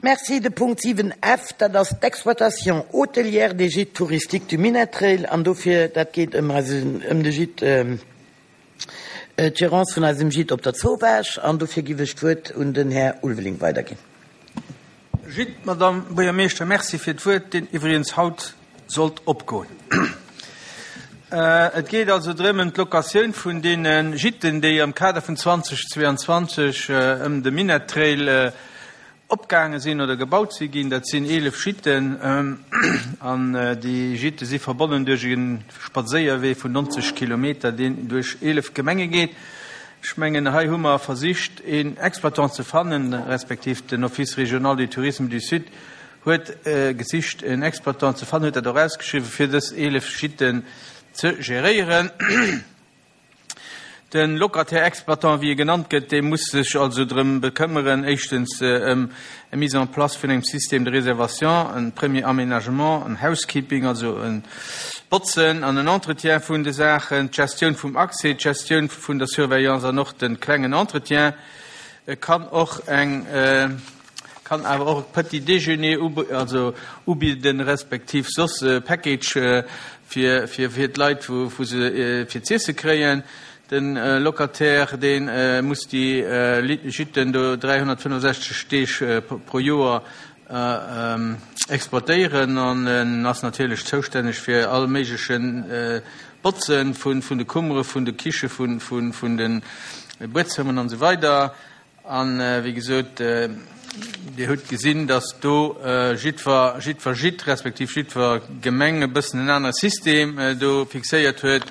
Merci. De Punkt 7 F, dat ass d'Exploitation hôtelière des gîtes touristiques du Minett Trail. An dofir, dat geet ëm eisen, ëm de Gîte, d'Gérance vun eisem Gîte op der Zowaasch. An dofir giff ech d'Wuert un den Här Ulveling weiderginn. Gîte, Madame Buergermeeschter, merci fir d'Wuert, deen iwwregens haut sollt opgoen. Et geet also drëm ëm d'Locatioun vun deene Gîten, déi am Kader vun 2022 ëm de Minett Trail opgaange sinn oder gebaut si ginn. Dat sinn 11 Gîten an déi Gîte si verbonnen duerch e Spadséierwee vun 90 Kilometer, deen duerch 11 Gemenge geet. Ech mengen, hei hu mer versicht, een Exploitant ze fannen, respektiv den Office régional du tourisme du Sud huet gesicht en Exploitant ze fannen, huet dat och ausgeschriwwen, fir dës 11 Gîten ze geréieren. De Locataire-Exploitant, wéi e genannt gëtt, dee muss sech also drëm bekëmmeren, éischtens ëm eng Mise en place vun engem Système de réservation, e premier Aménagement, en Housekeeping, also e Botzen an en Entretien vun de Saachen, d'Gestioun vum Accès, d'Gestioun vun der Surveillance an och de klengen Entretien. E kann och eng. Kann awer och e Petit Déjeuner also ubidden, respektiv soss e Package fir fir d'Leit, wou se fir z'iesse kréien. De Locataire, dee muss déi Gîten do 365 Deeg pro Joer exploitéieren an en ass natierlech zoustänneg fir all méigleche Botze vun de Kummere, vun de Kiche, vun de Buedzëmmeren an esou weider. An, wéi gesot, Dir hutt gesinn, dass do jiddwer, jiddwer Gîte respektiv jiddwer Gemeng e bëssen en anere System do fixéiert huet.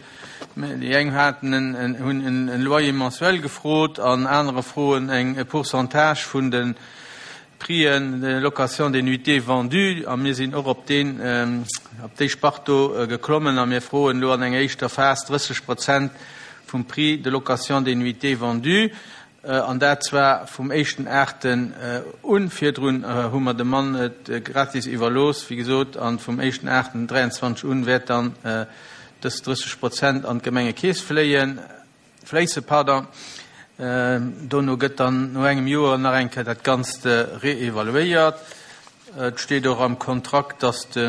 Déi eng haten en, hunn en Loyer mensuel gefrot an anerer froen eng, e Pourcentage vun de Prixen de location des nuitées vendues. A mir sinn och op deen, op déi Spart do geklommen a mir froen elo an enger éischter Phas 30 Prozent vum Prix de location des nuitées vendues. An dat zwar vum éischten Aachten un. Virdrun hu mer dem Mann et gratis iwwerlooss, wéi gesot, a vum éischten Aachten 23 un wäert dann dës 30 Prozent an d'Gemengekeess fléien, fléissen, pardon. Dono gëtt dann no engem Joer nach eng Kéier dat Ganzt reevaluéiert. Et steet och am Kontrakt, dass de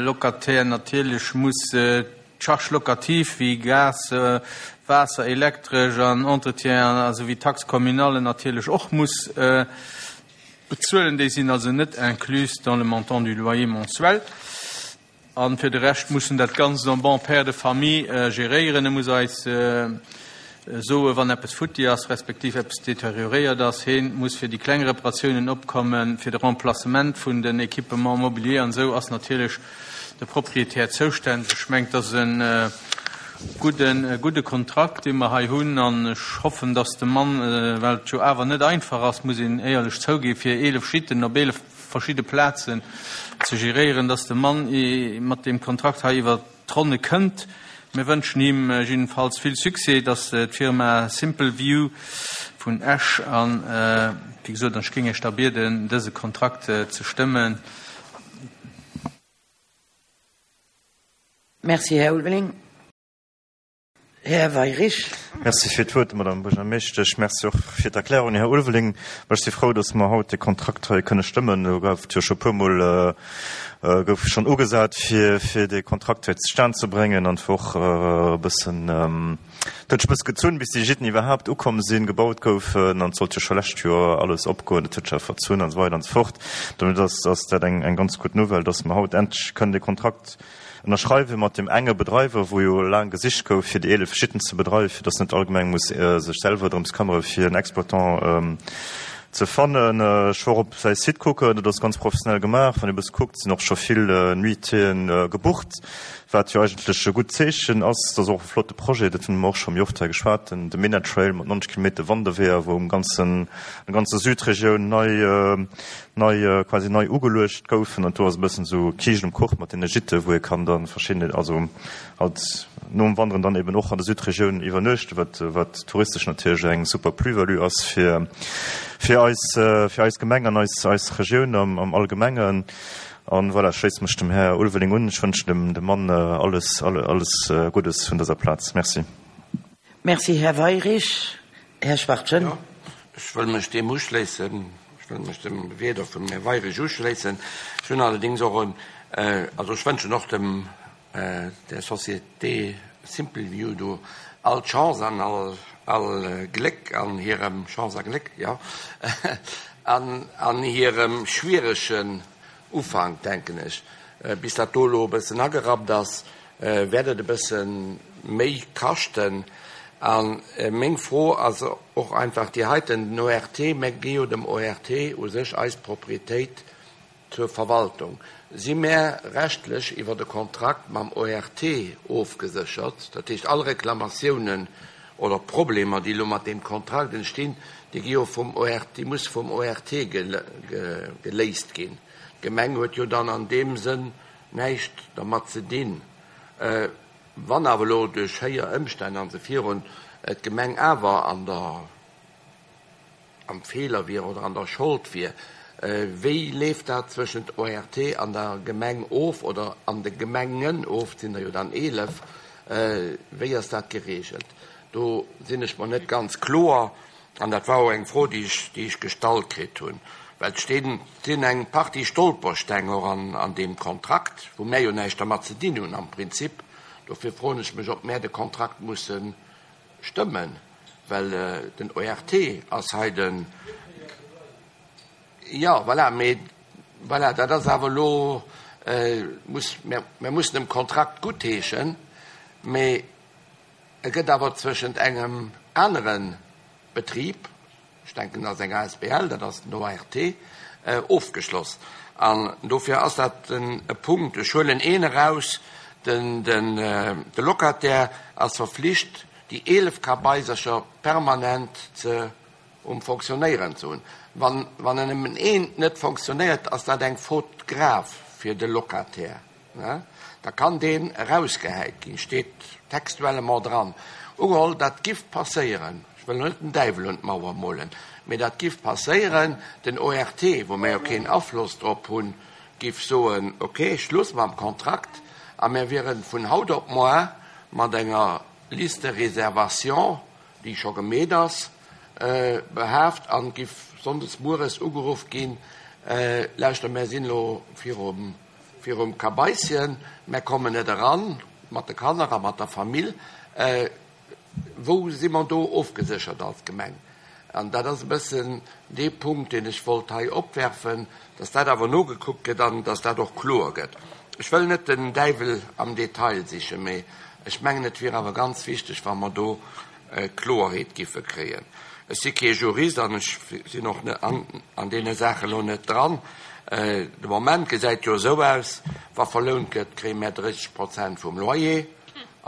Locataire natierlech muss D'Charges locatives wéi Gas, Waasser, Elektresch an Entretien a souwéi d'Taxe communale natierlech och muss bezuelen. Déi sinn also net incluses dans le montant du loyer mensuel. A fir de Rescht muss en dat Ganzt en bon père de famille geréieren. E muss eis soe wann eppes futti ass, respektiv eppes deterioréiert ass. Heen muss fir déi kleng Reparatiounen opkommen, fir de Remplacement vun den Équipements mobiliers an esou ass natierlech de Proprietär zoustänneg. Ech mengen, et ass e gudden, gudde Kontrakt, dee mer hei hunn an ech hoffen, dass de Mann, well et jo awer net einfach ass, muss een éierlech zouginn, fir 11 Gîten op 11 verschidde Plazen ze geréieren, dass de Mann mat deem Kontrakt hei iwwert d'Ronne kënnt. Mir wënschen him jiddefalls vill Succès, dass d'Firma Simple View vun Esch an, wéi gesot, an ech géing Iech da bieden, dëse Kontrakt ze stëmmen. Merci, Här Ulveling. Här Weyrich. Merci fir d'Wuert, Madame Buergermeeschtesch. Merci och fir d'Erklärung, Här Ulveling. Ech si frou, dass mer haut dee Kontrakt hei kënne stëmmen. Do gouf et jo scho e puermol gouf schonn ugesat, fir fir dee Kontrakt hei zustan ze bréngen an et wor och e bëssen, et huet sech e bësse gezunn, bis déi Gîten iwwerhaapt ukomm sinn, gebaut goufen an et sollt jo scho lescht Joer alles opgoen. Dat huet sech awer verzunn an esou weider an esou fort. Domat ass ass dat eng eng ganz gutt Nouvelle, dass mer haut endlech kënnen dee Kontrakt Ënnerschreiwe mat deem enge Bedreiwer, wou jo laang gesicht gouf, fir déi 11 Gîten ze bedreiwen, fir datt net all Gemeng muss sech selwer drëms këmmere fir en Exploitant ze fannen. Ech wor op säi Site kucken, dat ass ganz professionell gemaach. Wann ee bësse kuckt, sinn och scho vill Nuitéen gebucht, wat jo eigentlech e gutt Zeechen ass. Dat ass och e flotte Projet, dat hunn mer och scho méi oft hei geschwat, den de Minett Trail mat 90 Kilometer Wanderweeër, wou um ganzen, an der ganzer Südregioun nei nei quasi nei ugeluecht goufen an do ass e bëssen esou Kiischt um Kuch mat deene Gîten, wou ee kann dann verschidden, also halt nom Wanderen dann eben och an der Südregioun iwwernuechten, wat wat touristesch natierlech eng super Plus-value ass fir fir eis fir eis Gemeng an eis eis Regioun am am Allgemengen. An voilà, ech schléisse mech dem Här Ulveling un. Ech wënschen dem dem Mann alles alles Guddes vun dëser Plaz. Merci. Merci, Här Weyrich. Här Schwachtgen. Jo, ech wëll mech deem uschléissen. wëll mech dem Wieder vum Här Weirich uschléissen. Ech hunn allerdéngs och en, also ech wënschen och dem, der Société Simple View do all Chance an all, all Gléck an hirem, Chance a Gléck, jo, an, an hirem schwieregen Ufank, denken ech. Bis dat do elo e bëssen agerappt ass, wäert et e bësse méi kaschten. A meng Fro ass och einfach déi heiten, Den ORT, mär gi jo dem ORT u sech eis Proprietéit zur Verwaltung. Si mär rechtlech iwwer e Kontrakt mam ORT ofgeséchert? Dat heescht, all Reklamatiounen oder Problemer, déi elo mat deem Kontrakt entstinn, déi gi jo vum ORT, déi musse vum ORT geléist ginn. D'Gemeng huet jo dann an deem Sënn näischt dermat ze dinn. Wann awer elo duerch héijer Ëmstänn an esou virun d'Gemeng awer an der, am Feeler wier oder an der Schold wier, wéi leeft dat zwëschent ORT an der Gemeng of oder an de Gemengen of, et sinn der jo dann 11, wéi ass dat geregelt? Do sinn ech mer net ganz kloer an dat war och eng Fro, déi ech, déi ech gestallt kritt hunn, well et stinn, sinn eng Partie Stolpersteng och an, an deem Kontrakt, wou mär jo näischt dermat ze dinn hunn am Prinzip. Dofir froen ech mech, ob mär de Kontrakt mussen Stëmmen, well den ORT ass hei den, jo, voilà, mee voilà, dat ass awer elo, muss, mir mussen dem Kontrakt guttheeschen, mee e gëtt awer zwëschent engem anere Betrib, Ech denken, dat ass eng asbl, dat ass den ORT, ofgeschloss. An dofir ass dat e Punkt. Ech huelen een eraus, De Locataire ass verflicht, déi 11 Kabaisercher permanent ze um Fonctionnéieren ze hunn. Wann en nëmmen eent net fonctionnéiert, ass dat eng Faute grave fir de Locataire. Da kann deen erausgehäit ginn, steet textuellement dran. Ugeholl, dat giff passéieren, ech wëll elo net den Däiwel un d'Mauer molen, mee dat giff passéieren, den ORT, wou mär jo keen Afloss drop hunn, giff soen, ok, Schluss mam Kontrakt a mär wiere vun haut op moar mat enger Liste de réservation, déi scho gemeet ass, behaaft an giff sonndes mueres ugeruff ginn, Lauschter, mär sinn elo virum Virum Kabaisschen, Mär kommen net eran mat de Kanner a mat der Famill. Wou si mer do ofgeséchert als Gemeng? An dat ass e bëssen dee Punkt, deen ech wollt hei opwerfen, dass dat awer nogekuckt gëtt an dass dat och kloer gëtt. Ech wëll net den Däiwel am Detail sichen, mee ech mengen, et wier awer ganz wichteg, wa mer do Kloerheet giffe kréien. Ech si kee Jurist an ech sinn och an deene Saache lo net dran. De Moment gesäit jo esou aus, wa verlount gëtt, kréie mär 30 Prozent vum Loyer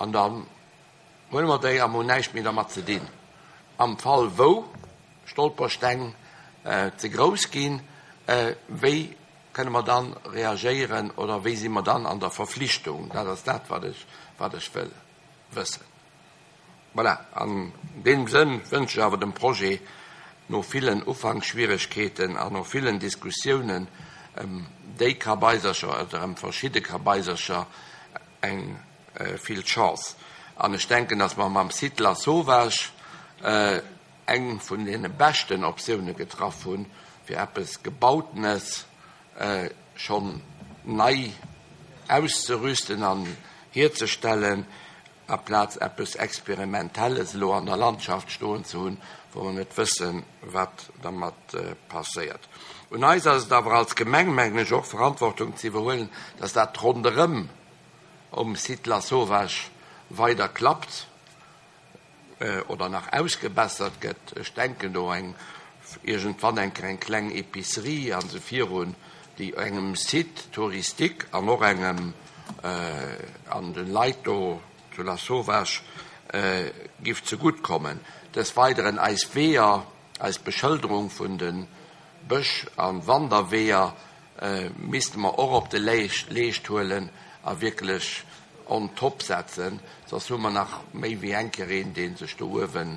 an da huele mer déi a mer hunn näischt méi dermat ze dinn. Am Fall wou Stolpersteng ze grouss ginn, wéi kënne mer dann reagéieren oder wéi si mer dann an der Verflichtung? Dat ass dat, wat ech wëll wëssen. Voilà, an deem Sënn wënsche ech awer dem Projet no villen Ufanksschwieregkeeten an no villen Diskussiounen ëm déi Kabaisercher oder ëm verschidde Kabaisercher eng vill Chance. An ech denken, dass mer mam Site Lasauvage eng vun deene beschten Optioune getraff hunn, fir eppes Gebautenes schonn nei auszerüsten an hierzestellen, aplaz eppes Experimentelles elo an der Landschaft stoen ze hunn, wou mer net wëssen, wat dermat passéiert. Un eis ass et awer als Gemeng, mengen ech, och Verantwortung ze iwwerhuelen, dass dat ronderëm um Site Lasauvage weider klappt oder nach ausgebessert gëtt. Ech denken do eng iergendwann eng Kéier eng kleng Épicerie an esou virun, déi engem Site touristique an och engem an de Leit do zu Lasauvage giff zegutt kommen. Des Weideren eis Weeër, eis Beschëlderung vun de Bësch a Wanderweeër misste mer och op de Leescht huelen a wierklech on top setzen, soss hu mer nach méi wéi eng Kéier een, dee sech do uewen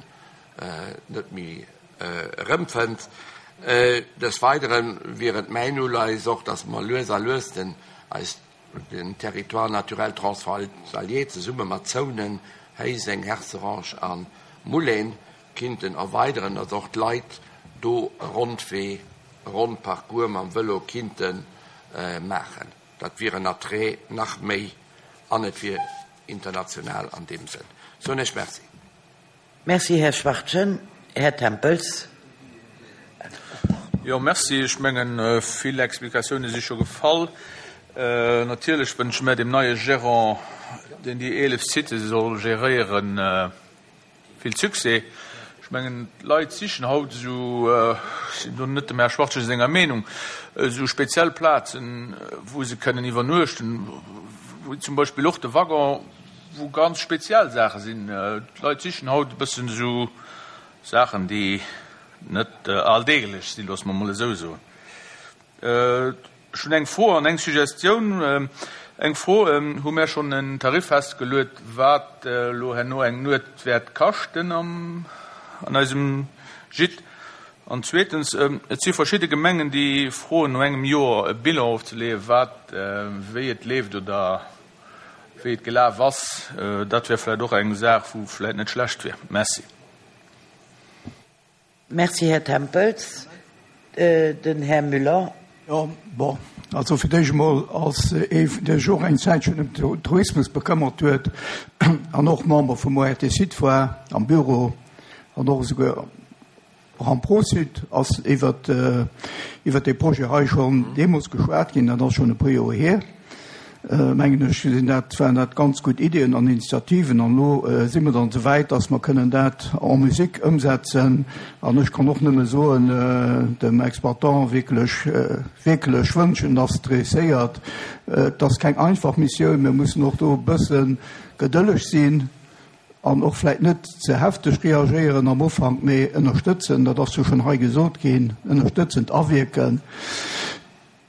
net méi erëmfënnt. Des Weidere wier et mäin Uleies och, dass mer lues a lues den eis den Territoire naturel transfrontalier zesumme mat Zounen, Héiseng, Herzerange a Mullén kinnten erweideren, dass och d'Leit do e Rondwee. ronn Parcours mam Vëlo kinnte maachen. Dat wier en Attrait nach méi an et wier international an deem Sënn. Soen ech Merci. Merci, Här Schwachtgen. Här Tempels. Jo, merci. Ech mengen, vill Explikatioune si scho gefall. Natierlech wënsche mär dem neie Gérant, deen déi 11 Sitë soll geréieren, vill Succès. Ech mengen, d'Leit sichen haut esou, ech sinn do net dem Här Schwachtgen senger Meenung, esou speziell Plazen, wou se kënnen iwwernuechten, wou zum Beispill och de Waggon, wou ganz speziell Saache sinn. D'Leit sichen haut e bëssen esou Saachen, déi net alldeeglech sinn, loosse mer emol esou soen. Ech hunn eng Fro an eng Suggestioun. Eng Fro, Hu mär schonn en Tarif festgeluet, wat elo herno eng Nuet wäert kaschten an eisem Gîte? An zweetens, Et si verschidde Gemengen, déi froen, no engem Joer e Bilan ofzeleeën, wat wéi et leeft oder wéi et gelaf ass. Dat wär vläicht och eng Saach, wou vläicht net schlecht wär. Merci. Merci, Här Tempels. Den Här Müller. Jo, bon, also fir d'éischt emol als ee, dee sech och eng Zäitchen ëm den Tourismus bekëmmert huet an och Member vum ORT Sud war am Büro an och esouguer och am Pro-Sud, ass iwwert iwwert dee Projet hei schonn deemools geschwat ginn, dat ass schonn e puer Joer hier. mengen ech, sinn dat, waren dat ganz gutt Iddien an Initiativen. An elo si mer dann esou wäit, dass mer kënnen dat en musique ëmsetzen. An ech kann och nëmme soen, dem Exploitant wierklech, wierklech wënschen, dass et réusséiert. Et ass keng einfach Missioun. Mir mussen och do e bësse gedëlleg sinn an och vläicht net ze hefteg reagéieren am Ufank, mee ënnerstëtzen, dat ass jo schonn hei gesot ginn, ënnerstëtzend awierken.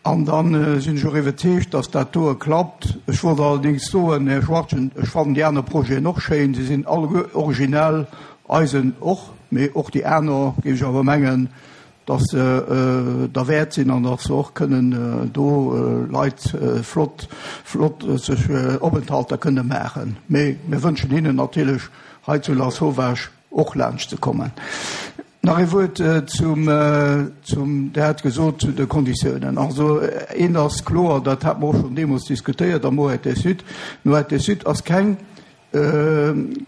An da sinn ech och iwwerzeegt, dass dat doe klappt. Ech wollt allerdéngs soen, Här Schwachtgen, ech fannen déi aner Projeten och schéin, se sinn alleguer originell, eisen och, mee och déi aner, géif ech awer mengen, dass se derwäert sinn an dass se och kënnen do Leit flott, flott sech Openthalter kënne maachen. Mee mir wënschen hinnen natierlech hei zu Lasauvage och laanscht ze kommen. Nach ee Wuert zum, zum, Der hat gesot, zu de Konditiounen. Also eent ass kloer, dat hate mer och schonn deemools diskutéiert am ORT Sud, Den ORT Sud ass keng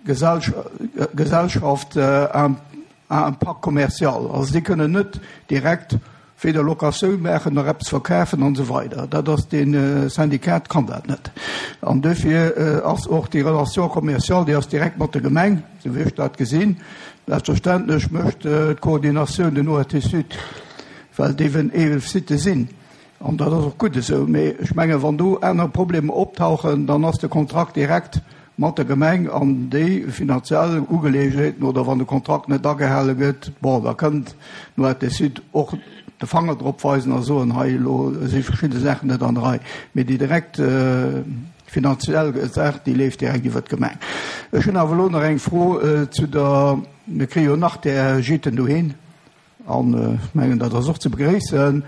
Gesellschaft à impact commercial. Also déi kënnen net direkt weder Locatioun maachen nach eppes verkafen an esou weider. Dat ass dee Syndikat kann dat net. An duerfir ass och déi Relation commerciale, déi ass direkt mat der Gemeng, esou wéi ech dat gesinn. Selbstverständlech mécht d'Koordinatioun den ORT Sud, well et eeben 11 Sitë sinn. An dat ass och gutt esou. Mee ech mengen, wann do aner Problemer optauchen, dann ass de Kontrakt direkt mat der Gemeng an déi finanziell Ugeleeënheeten oder wann de Kontrakt net agehale gëtt, bon, da kënnt den ORT Sud och de Fanger drop weisen a soen, hei elo si verschidde Saachen net an der Rei. Mee déi direkt finanziell Saach, déi leeft direkt iwwert d'Gemeng. Ech hunn awer elo nach eng Fro zu der, mir kréie jo nach där Gîten dohin an ech mengen, dat ass och ze begréissen.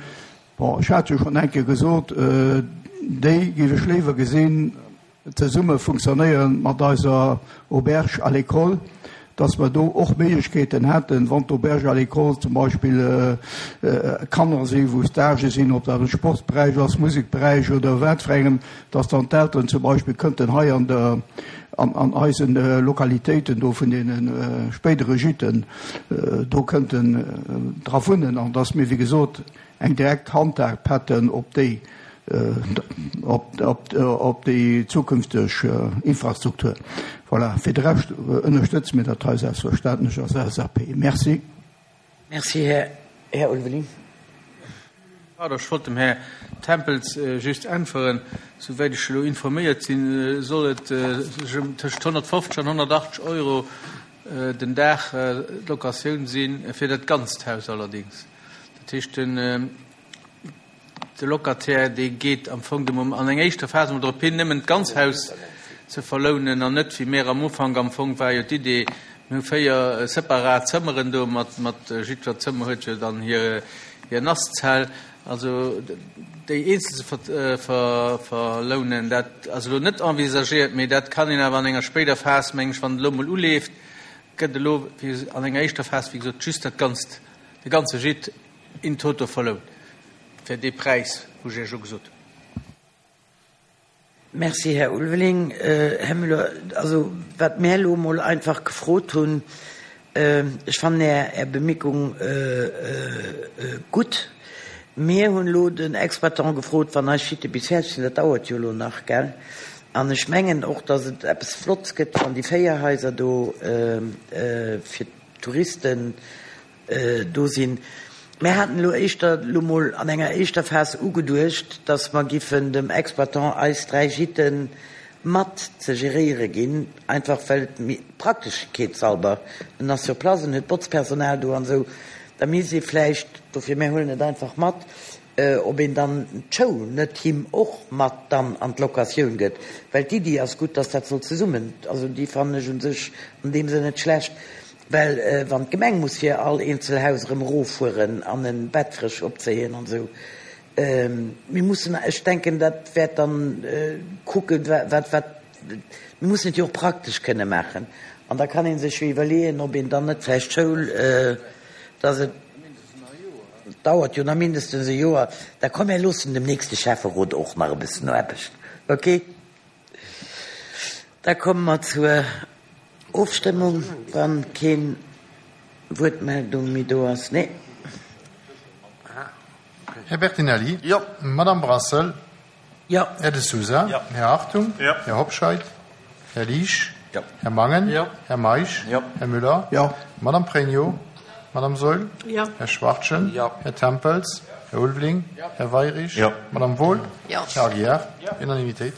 Bon, ech hat jo schonn eng Kéier gesot, déi géif ech léiwer gesinn, zesumme funktionéieren mat eiser Auberge à l'école, dass mer do och Méiglechkeeten hätten, wann d'Auberge à l'école zum Beispill Kanner sinn, wou Stagë sinn, ob dat am Sportsberäich ass, Musekberäich oder wat fir engem, dass dann d'Elteren zum Beispill kënnten hei an der, an eisen Lokalitéiten do vun deene spéidere Gîten do kënnten dra wunnen an dass mir, wéi gesot, eng direkt Handhab hätten op déi, op déi zukünfteg Infrastruktur. Voilà, fir de Rescht ënnerstëtze mir dat hei selbstverständlech als LSAP. Merci. Merci, Här Ulveling. Pardon, ech wollt dem Här Tempels just äntweren. Souwäit ech elo informéiert sinn, soll et sech ëm tëscht 150 an 180 Euro den Dag d'Locatioun sinn, fir dat ganzt Haus allerdéngs. Dat heescht, den de Locataire, dee geet am Fong de Moment an enger éischter Phas emol drop hin, nëmmen d'ganz Haus ze verlounen an net wéi mir am Ufank, am Fong war jo d'Idee, mir hu 4 separat Zëmmeren do mat, mat jiddwer Zëmmer huet jo dann hir, hir Nasszell, also déi eenzel ze ver, verlounen, dat ass elo net envisagéiert, mee dat kann een awer an enger spéider Phas, meng ech, wann et elo emol uleeft, gëtt elo an enger éischter Phas, wéi gesot, just dat ganzt, de ganze Gîte. in toto verlount. Fir dee Präis, wou ech Iech elo gesot hunn. Merci, Här Ulveling. Här Müller, also wat mär elo emol einfach gefrot hunn, ech fannen Är, Är Bemierkung gutt. Mir hunn elo den Exploitant gefrot, wann eis Gîte bis fäerdeg sinn, dat dauert jo elo nach, gell? An ech mengen och, datt et eppes Flotts gëtt, wann déi 4 Haiser do fir d'Touristen do sinn. Mir haten elo éischter elo mol an enger éischter Phas ugeduecht, dass mer giffen dem Exploitant eis 3 Gîten mat ze geréiere ginn, einfach well et méi prakteschkeetshalber, en ass sur place, en huet Botzpersonal do an esou, da misst ee vläicht, dofir mir huelen et einfach mat, ob een dann d'Schoul net him och mat dann an d'Locatioun gëtt, well d'Iddi ass gutt, dass dat soll zesummen, also déi fannen ech u sech an deem Sënn net schlecht. Well wann d'Gemeng muss fir all eenzel Haus erëm eroffueren an e Bett frësch opzéien an esou, mir mussen, ech denken, dat wäert dann kucken, wat, wat, mir mussen et jo och praktesch kënne maachen. An da kann ee sech jo iwwerleeën, ob een dann net vläicht d'Schoul, dass et dauert jo nach mindestens e Joer, da komm mir loossen dem nächste Schäfferot och nach e bëssen Aarbecht, okay? Da komme mer zur Ofstëmmung, wann keen Wuertmeldung méi do ass. Nee. Här Bertinelli? Jo. Madame Brassel? Jo. Här De Sousa? Jo. Här Hartung? Jo. Här Hobscheit? Här Liesch? Jo. Här Mangen? Jo. Här Meisch? Jo. Här Müller? Jo. Madame Pregno? Madame Saeul? Jo. Här Schwachtgen? Jo. Här Tempels? Här Ulveling? Jo. Här Weirich? Jo. Madame Wohl? Jo. Här Aguiar? Unanimitéit.